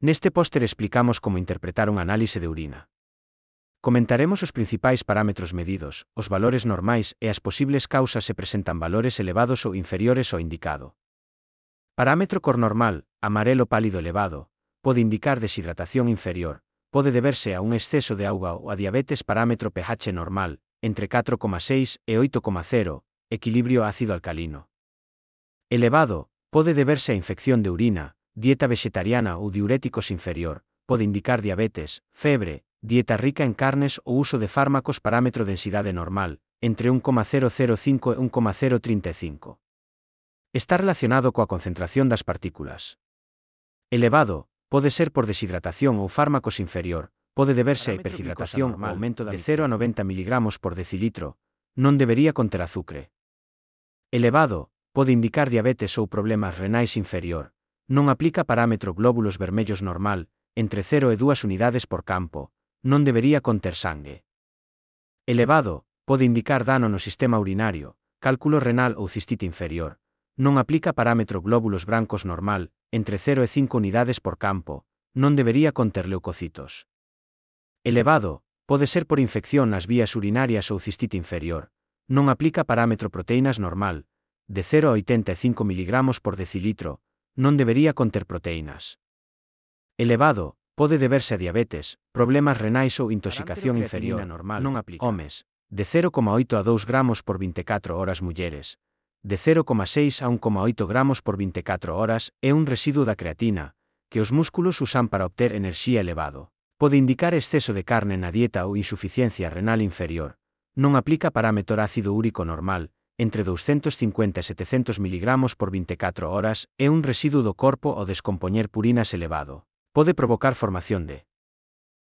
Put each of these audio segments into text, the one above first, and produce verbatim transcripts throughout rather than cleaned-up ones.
Neste póster explicamos como interpretar un análise de urina. Comentaremos os principais parámetros medidos, os valores normais e as posibles causas se presentan valores elevados ou inferiores ao indicado. Parámetro cor normal, amarelo pálido elevado, pode indicar deshidratación inferior, pode deberse a un exceso de auga ou a diabetes. Parámetro pH normal, entre catro coma seis e oito coma cero, equilibrio ácido-alcalino. Elevado, pode deberse a infección de urina, dieta vegetariana ou diuréticos inferior, pode indicar diabetes, febre, dieta rica en carnes ou uso de fármacos. Parámetro densidade normal, entre un coma cero cero cinco e un coma cero trinta e cinco. Está relacionado coa concentración das partículas. Elevado, pode ser por deshidratación ou fármacos inferior, pode deberse a hiperhidratación ou aumento de cero a noventa miligramos por decilitro, non debería conter azúcar. Elevado, pode indicar diabetes ou problemas renais inferior, non aplica. Parámetro glóbulos vermellos normal, entre cero e dúas unidades por campo, non debería conter sangue. Elevado, pode indicar dano no sistema urinario, cálculo renal ou cistite inferior, non aplica. Parámetro glóbulos brancos normal, entre cero e cinco unidades por campo, non debería conter leucocitos. Elevado, pode ser por infección nas vías urinarias ou cistite inferior, non aplica. Parámetro proteínas normal, de cero a oitenta e cinco miligramos por decilitro, non debería conter proteínas. Elevado, pode deberse a diabetes, problemas renais ou intoxicación inferior, normal, non aplica. Homes, de cero coma oito a dous gramos por vinte e catro horas. Mulleres, de cero coma seis a un coma oito gramos por vinte e catro horas, é un residuo da creatina, que os músculos usan para obter enerxía elevado. Pode indicar exceso de carne na dieta ou insuficiencia renal inferior, non aplica. Parámetro ácido úrico normal, entre doscientos cincuenta e setecentos miligramos por vinte e catro horas, é un residuo do corpo ao descompoñer purinas elevado. Pode provocar formación de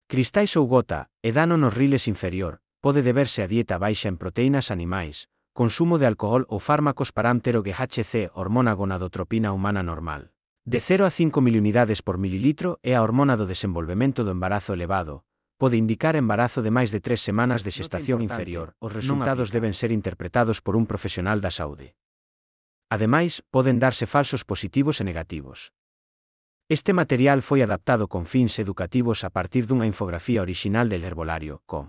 cristais ou gota, e dano nos riles inferior, pode deberse a dieta baixa en proteínas animais, consumo de alcohol ou fármacos. Parámetro G H C, hormona gonadotropina humana normal, de cero a cinco miliunidades por mililitro, é a hormona do desenvolvemento do embarazo elevado, pode indicar embarazo de máis de tres semanas de xestación inferior. Os resultados deben ser interpretados por un profesional da saúde. Ademais, poden darse falsos positivos e negativos. Este material foi adaptado con fins educativos a partir dunha infografía orixinal del Herbolario punto com.